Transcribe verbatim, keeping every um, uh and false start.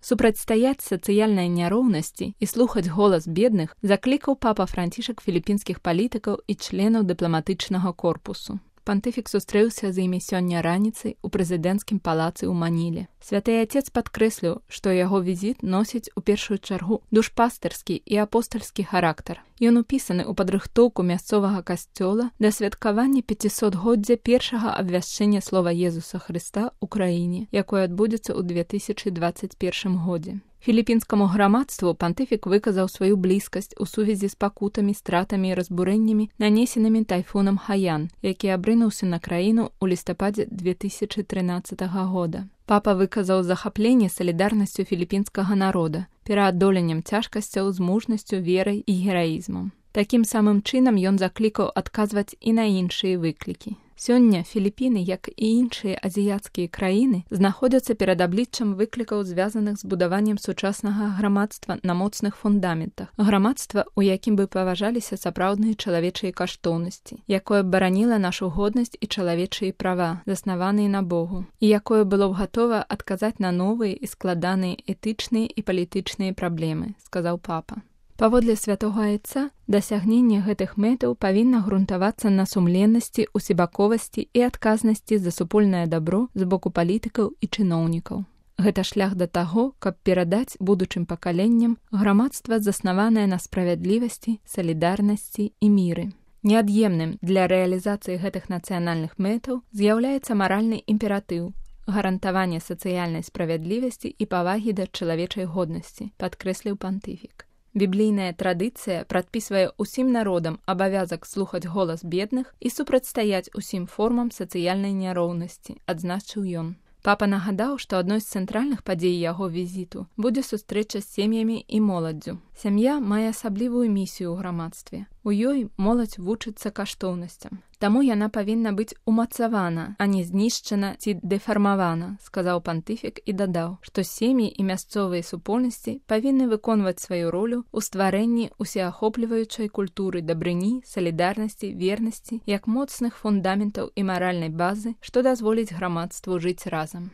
Супрацьстаяць сацыяльнай няроўнасці і слухаць голас бедных заклікаў папа Францішак філіпінскіх палітыкаў і членаў дыпламатычнага корпусу. Пантыфік сустрэўся з імі сёння раніцай у прэзідэнцкім палацы ў Маніле. Святы Отец падкрэсліў, што яго візіт носіць у першую чаргу душпастырскі і апостальскі характар. Ён упісаны ў падрыхтоўку мясцовага касцёла да святкавання пяцісотгоддзя першага абвяшчэння слова Езуса Хрыста ў краіне, якое адбудзецца ў две тысячы дваццаць першым годзе. Філіпінскаму грамадству пантыфік выказаў сваю блізкасць у сувязі з пакутамі, стратамі і разбурэннямі, нанесенымі тайфунам Хаян, які абрынуўся на краіну ў лістападзе две тысячы трынаццатага года. Папа выказаў захапленне салідарнасцю філіпінскага народа, пераадоленнем цяжкасцяў з мужнасцю, верай і гераізмам. Такім самым чынам ён заклікаў адказваць і на іншыя выклікі. Сёння Філіпіны, як і іншыя азіяцкія краіны, знаходзяцца перад абліччам выклікаў, звязаных з будаваннем сучаснага грамадства на моцных фундаментах. Грамадства, у якім бы паважаліся сапраўдныя чалавечыя каштоўнасці, якое б бараніла нашу годнасць і чалавечыя права, заснаваныя на Богу, і якое было б гатова адказаць на новыя і складаныя этычныя і палітычныя праблемы, сказаў папа. Паводле святога Айца, дасягненне гэтых мэтаў павінна грунтавацца на сумленнасці, усебаковасці і адказнасці за супольнае дабро з боку палітыкаў і чыноўнікаў. Гэта шлях да таго, каб перадаць будучым пакаленням грамадства, заснаванае на справядлівасці, салідарнасці і міры. Неад'емным для рэалізацыі гэтых нацыянальных мэтаў з'яўляецца маральны імператыў, гарантаванне сацыяльнай справядлівасці і павагі да чалавечай годнасці, падкрэсліў пантыфік. Біблійная традыцыя прадпісвае ўсім народам абавязак слухаць голас бедных і супрацьстаяць усім формам сацыяльнай няроўнасці, адзначыў ён. Папа нагадаў, што адной з цэнтральных падзей яго візіту будзе сустрэча з сем'ямі і моладдзю. Сям'я мае асаблівую місію ў грамадстве. У ёй моладзь вучыцца каштоўнасцям. Таму яна павінна быць умацавана, а не знішчана ці дэфармавана, сказаў пантыфік і дадаў, што сем'і і мясцовыя супольнасці павінны выконваць сваю ролю ў стварэнні усеахопліваючай культуры дабрыні, салідарнасці, вернасці, як моцных фундаментаў і маральнай базы, што дазволіць грамадству жыць разам.